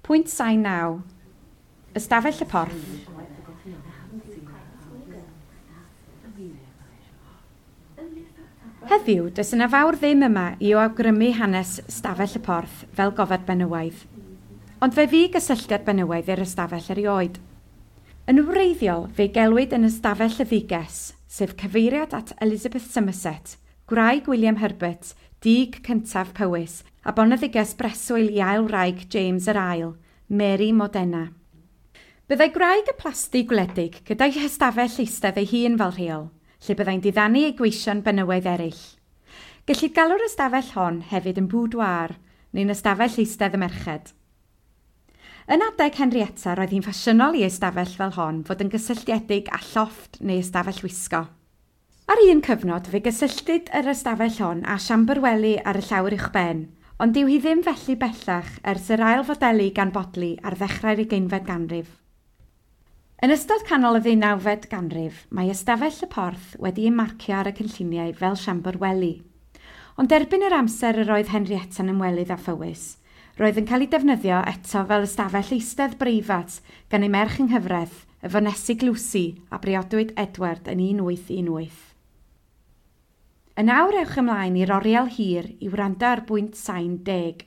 Pwynt sain 9. Ystafell y Porth. Heddiw, does yna fawr ddim yma i awgrymu hanes Stafell y Porth fel gofod benywaidd. Ond fe fu gysylltiad benywaidd i'r ystafell erioed. Yn wreiddiol, fe gelwid yn Ystafell y Dduges, sef cyfeiriad at Elizabeth Somerset, gwraig William Herbert, dug cyntaf Powys, a boneddiges breswyl i ail wraig James yr Ail, Mary Modena. Byddai gwraig y plasty gwledig gyda'i hystafell eistedd ei hun fel rheol, lle byddai'n diddanu ei gweision benywaidd eraill. Gellid galw'r ystafell hon hefyd yn boudoir, neu'n ystafell eistedd y merched. Yn adeg Henrietta, roedd hi'n ffasiynol i ystafell fel hon fod yn gysylltiedig â llofft neu ystafell wisgo. Ar un cyfnod, fe gysylltid yr ystafell hon â siambr wely ar y llawr uwchben, ond dyw hi ddim felly bellach ers yr ail fodelu gan Bodley ar ddechrau'r ugeinfed ganrif. Yn ystod canol y ddeunawfed ganrif, mae Ystafell y Porth wedi ei marcio ar y cynlluniau fel siambr wely. Ond erbyn yr amser yr oedd Henrietta'n ymwelydd â Phowys, roedd yn cael ei defnyddio eto fel ystafell eistedd breifat gan ei merch yng nghyfraith, y Fonesig Lucy, a briodwyd Edward yn 1818. Yn awr ewch ymlaen i'r oriel hir i wrando ar bwynt sain 10.